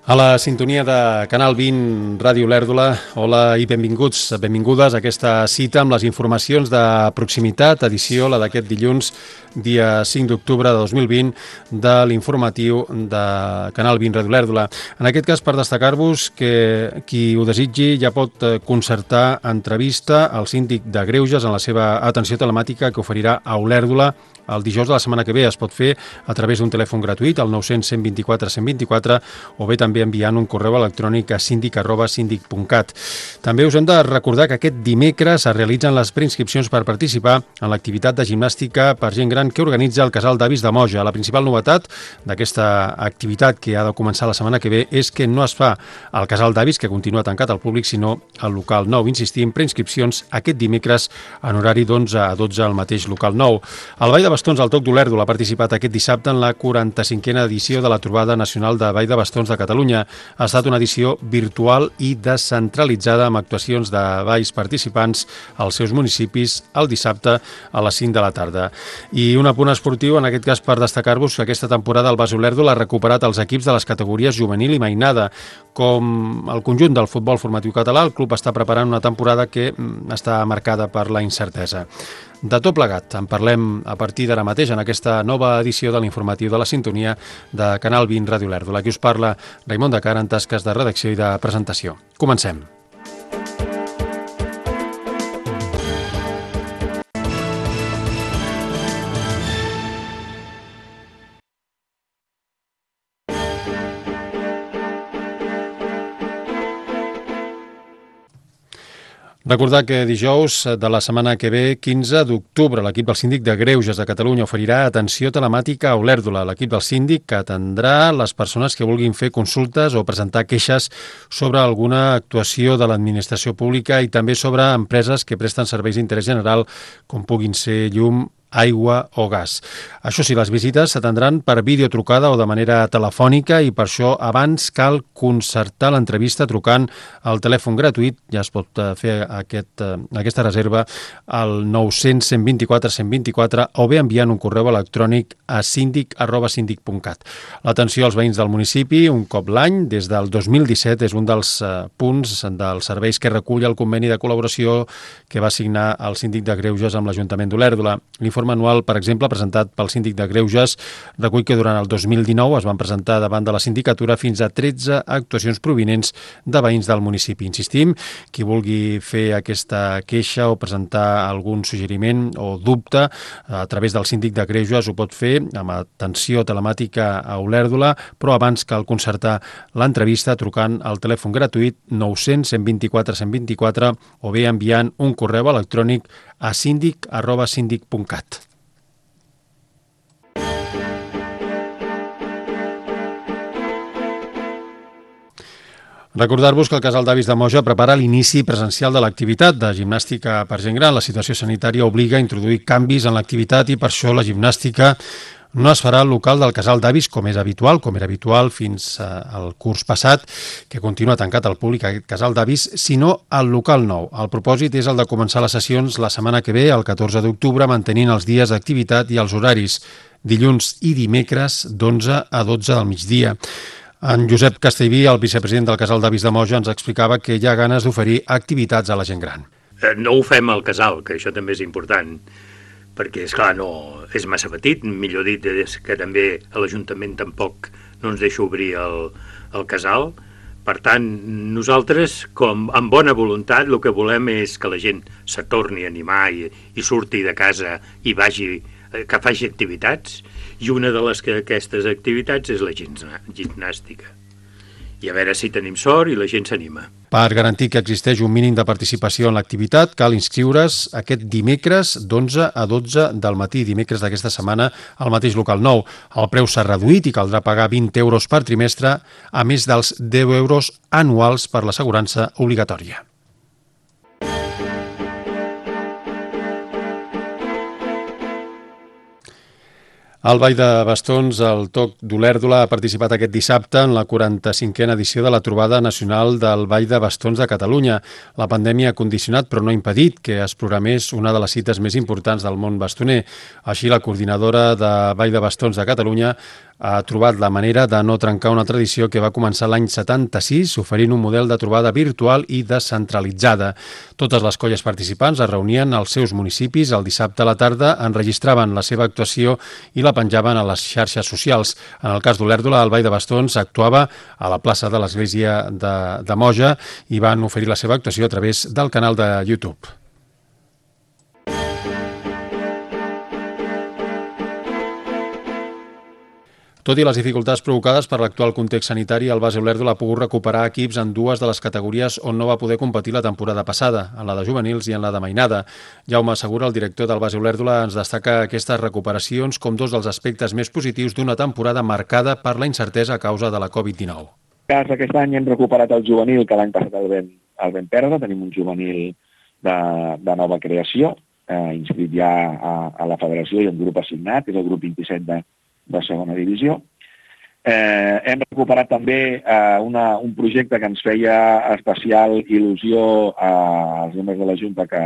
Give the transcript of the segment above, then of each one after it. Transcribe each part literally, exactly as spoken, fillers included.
A la sintonia de Canal vint, Ràdio Olèrdola, hola i benvinguts, benvingudes a aquesta cita amb les informacions de proximitat, edició, la d'aquest dilluns, dia cinc d'octubre de dos mil vint, de l'informatiu de Canal vint, Ràdio Olèrdola. En aquest cas, per destacar-vos que qui ho desitgi ja pot concertar entrevista al síndic de Greuges en la seva atenció telemàtica que oferirà a Olèrdola el dijous de la setmana que ve. Es pot fer a través d'un telèfon gratuït, al nou cents, cent vint-i-quatre, cent vint-i-quatre, o bé també enviant un correu electrònic a síndic arroba síndic punt cat. També us hem de recordar que aquest dimecres es realitzen les preinscripcions per participar en l'activitat de gimnàstica per gent gran que organitza el Casal d'Avis de Moja. La principal novetat d'aquesta activitat que ha de començar la setmana que ve és que no es fa al Casal d'Avis, que continua tancat al públic, sinó al local nou. Insistim, preinscripcions aquest dimecres en horari d'onze a dotze al mateix local nou. El Ball de Bastons al Toc d'Olèrdola ha participat aquest dissabte en la quaranta-cinquena edició de la Trobada Nacional de Ball de Bastons de Catalunya. Ha estat una edició virtual i descentralitzada amb actuacions de balls participants als seus municipis el dissabte a les cinc de la tarda. I un apunt esportiu, en aquest cas per destacar-vos que aquesta temporada el Bas Olèrdola ha recuperat els equips de les categories juvenil i mainada. Com el conjunt del futbol formatiu català, el club està preparant una temporada que està marcada per la incertesa. De tot plegat, en parlem a partir d'ara mateix en aquesta nova edició de l'informatiu de la sintonia de Canal vint, Ràdio Olèrdola. Aquí us parla Raimon de Cara en tasques de redacció i de presentació. Comencem. Recordar que dijous de la setmana que ve, quinze d'octubre, l'equip del síndic de Greuges de Catalunya oferirà atenció telemàtica a Olèrdola. L'equip del síndic que atendrà les persones que vulguin fer consultes o presentar queixes sobre alguna actuació de l'administració pública i també sobre empreses que presten serveis d'interès general, com puguin ser llum, aigua o gas. Això sí, les visites s'atendran per videotrucada o de manera telefònica i per això abans cal concertar l'entrevista trucant al telèfon gratuït. Ja es pot fer aquest, aquesta reserva al nou cents, cent vint-i-quatre, cent vint-i-quatre o bé enviant un correu electrònic a síndic arroba síndic punt cat. L'atenció als veïns del municipi, un cop l'any, des del dos mil disset, és un dels punts dels serveis que recull el conveni de col·laboració que va signar el síndic de Greuges amb l'Ajuntament d'Olèrdola. L'informe anual, per exemple, presentat pel síndic de Greuges, recull que durant el dos mil dinou es van presentar davant de la sindicatura fins a tretze actuacions provinents de veïns del municipi. Insistim, qui vulgui fer aquesta queixa o presentar algun suggeriment o dubte a través del síndic de Greuges ho pot fer amb atenció telemàtica a Olèrdola, però abans cal concertar l'entrevista trucant al telèfon gratuït nou cents, cent vint-i-quatre, cent vint-i-quatre o bé enviant un correu electrònic a síndic arroba síndic punt cat. Recordar-vos que el Casal d'Avis de Moja prepara l'inici presencial de l'activitat de gimnàstica per gent gran. La situació sanitària obliga a introduir canvis en l'activitat i per això la gimnàstica no es farà al local del Casal d'Avis com és habitual, com era habitual fins al curs passat, que continua tancat al públic aquest Casal d'Avis, sinó al local nou. El propòsit és el de començar les sessions la setmana que ve, el catorze d'octubre, mantenint els dies d'activitat i els horaris, dilluns i dimecres d'onze a dotze del migdia. En Josep Castellví, el vicepresident del Casal d'Avis de Moja, ens explicava que hi ha ganes d'oferir activitats a la gent gran. No ho fem al casal, que això també és important, perquè, esclar, no, és massa petit, millor dit, és que també a l'Ajuntament tampoc no ens deixa obrir el, el casal. Per tant, nosaltres, com amb bona voluntat, el que volem és que la gent se torni a animar i, i surti de casa i vagi, que faci activitats, i una de les que aquestes activitats és la gimnàstica. I a veure si tenim sort i la gent s'anima. Per garantir que existeix un mínim de participació en l'activitat, cal inscriure's aquest dimecres d'onze a dotze del matí, dimecres d'aquesta setmana, al mateix local nou. El preu s'ha reduït i caldrà pagar vint euros per trimestre, a més dels deu euros anuals per l'assegurança obligatòria. El Ball de Bastons, el Toc d'Olèrdola, ha participat aquest dissabte en la quaranta-cinquena edició de la Trobada Nacional del Ball de Bastons de Catalunya. La pandèmia ha condicionat, però no ha impedit, que es programés una de les cites més importants del món bastoner. Així, la coordinadora de Ball de Bastons de Catalunya ha trobat la manera de no trencar una tradició que va començar l'any setanta-sis, oferint un model de trobada virtual i descentralitzada. Totes les colles participants es reunien als seus municipis el dissabte a la tarda, enregistraven la seva actuació i la penjaven a les xarxes socials. En el cas d'Olèrdola, el Ball de Bastons actuava a la plaça de l'església de, de Moja i van oferir la seva actuació a través del canal de YouTube. Tot i les dificultats provocades per l'actual context sanitari, el Base Olèrdola ha pogut recuperar equips en dues de les categories on no va poder competir la temporada passada, en la de juvenils i en la de mainada. Jaume Segura, el director del Base Olèrdola, ens destaca aquestes recuperacions com dos dels aspectes més positius d'una temporada marcada per la incertesa a causa de la covid dinou. Aquest any hem recuperat el juvenil, que l'any passat el vam, el vam perdre. Tenim un juvenil de, de nova creació, eh, inscrit ja a, a la federació i un grup assignat, que és el grup vint-i-set de de segona divisió. Eh, hem recuperat també eh, una, un projecte que ens feia especial il·lusió als membres de la Junta que,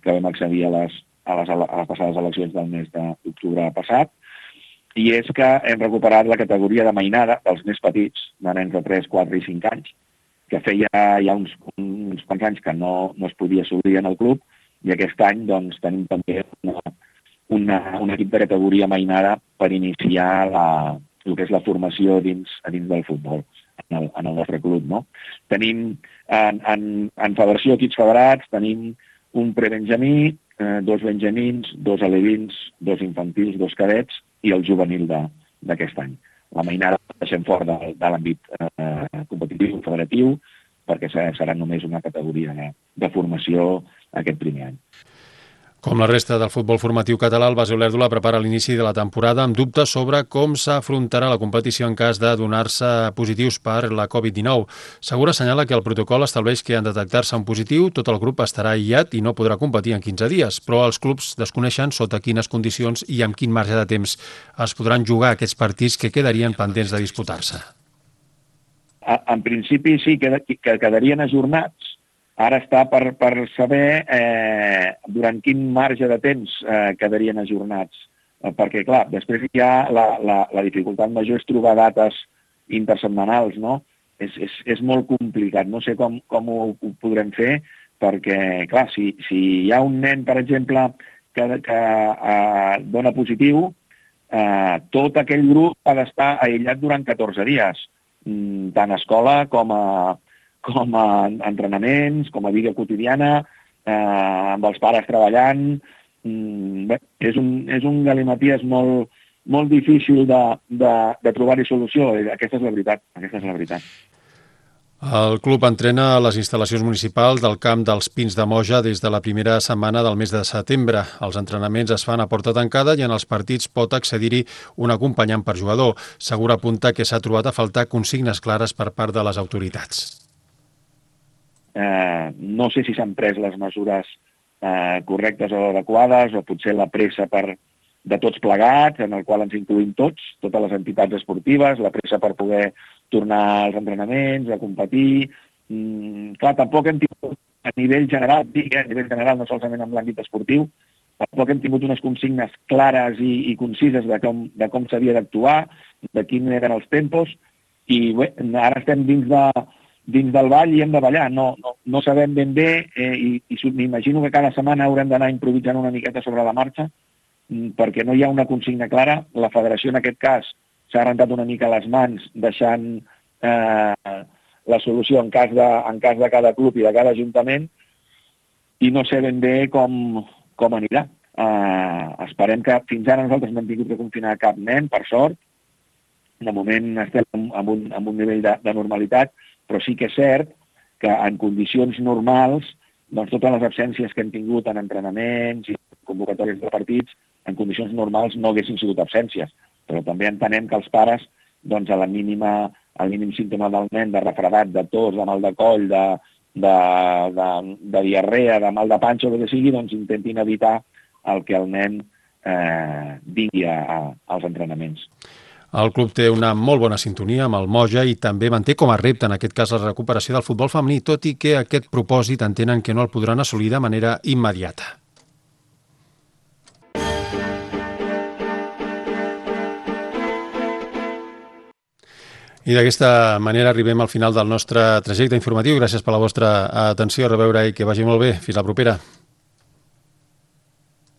que vam accedir a les, a, les, a les passades eleccions del mes d'octubre passat, i és que hem recuperat la categoria de mainada dels més petits, de nens de tres, quatre i cinc anys, que feia ja uns, uns quants anys que no, no es podia assolir en el club, i aquest any doncs, tenim també una Una, un equip de categoria mainada per iniciar la, el que és la formació dins, dins del futbol en el, en el nostre club. No? Tenim en, en, en federació equips federats, tenim un prebenjamí, eh, dos benjamins, dos alevins, dos infantils, dos cadets i el juvenil d'aquest any. La mainada la deixem fora de, de l'àmbit eh, competitiu, federatiu, perquè serà només una categoria de, de formació aquest primer any. Com la resta del futbol formatiu català, el Base Olèrdola prepara l'inici de la temporada amb dubtes sobre com s'afrontarà la competició en cas de donar-se positius per la covid dinou. Segura assenyala que el protocol estableix que en detectar-se un positiu, tot el grup estarà aïllat i no podrà competir en quinze dies, però els clubs desconeixen sota quines condicions i amb quin marge de temps es podran jugar aquests partits que quedarien pendents de disputar-se. En principi sí, que quedarien ajornats. Ara està per, per saber eh, durant quin marge de temps eh, quedarien ajornats. Eh, perquè, clar, després ja la, la, la dificultat major és trobar dates intersetmanals, no? És, és, és molt complicat. No sé com, com ho, ho podrem fer, perquè, clar, si, si hi ha un nen, per exemple, que, que eh, dona positiu, eh, tot aquell grup ha d'estar aïllat durant catorze dies, tant a escola com a com a entrenaments, com a vida quotidiana, eh, amb els pares treballant. Mm, bé, és un, és un galimaties molt, molt difícil de, de, de trobar-hi solució. Aquesta és la veritat. Aquesta és la veritat. El club entrena a les instal·lacions municipals del camp dels Pins de Moja des de la primera setmana del mes de setembre. Els entrenaments es fan a porta tancada i en els partits pot accedir-hi un acompanyant per jugador. Segura apunta que s'ha trobat a faltar consignes clares per part de les autoritats. Eh, no sé si s'han pres les mesures eh, correctes o adequades, o potser la pressa per, de tots plegats, en el qual ens incluïm tots, totes les entitats esportives, la pressa per poder tornar als entrenaments, a competir. Mm, clar, tampoc hem tingut a nivell general, dic, eh, a nivell general, no solament en l'àmbit esportiu, tampoc hem tingut unes consignes clares i, i concises de com, de com s'havia d'actuar, de quins eren els tempos, i bé, ara estem dins de dins del ball i hem de ballar. No, no, no sabem ben bé eh, i, i m'imagino que cada setmana haurem d'anar improvisant una miqueta sobre la marxa perquè no hi ha una consigna clara. La federació en aquest cas s'ha rentat una mica les mans deixant eh, la solució en cas, de, en cas de cada club i de cada ajuntament i no sé ben bé com, com anirà. Eh, esperem que fins ara nosaltres no hem tingut que confinar cap nen, per sort. De moment estem en un, en un nivell de, de normalitat, però sí que és cert que en condicions normals, doncs totes les absències que hem tingut en entrenaments i convocatòries de partits, en condicions normals no haguessin sigut absències. Però també entenem que els pares, doncs a la mínima, al mínim símptoma del nen, de refredat, de tos, de mal de coll, de, de, de, de diarrea, de mal de panxa, o el que sigui, doncs intentin evitar el que el nen eh, vingui a, a, als entrenaments. El club té una molt bona sintonia amb el Moja i també manté com a repte, en aquest cas, la recuperació del futbol femení, tot i que aquest propòsit entenen que no el podran assolir de manera immediata. I d'aquesta manera arribem al final del nostre trajecte informatiu. Gràcies per la vostra atenció, a reveure i que vagi molt bé. Fins la propera.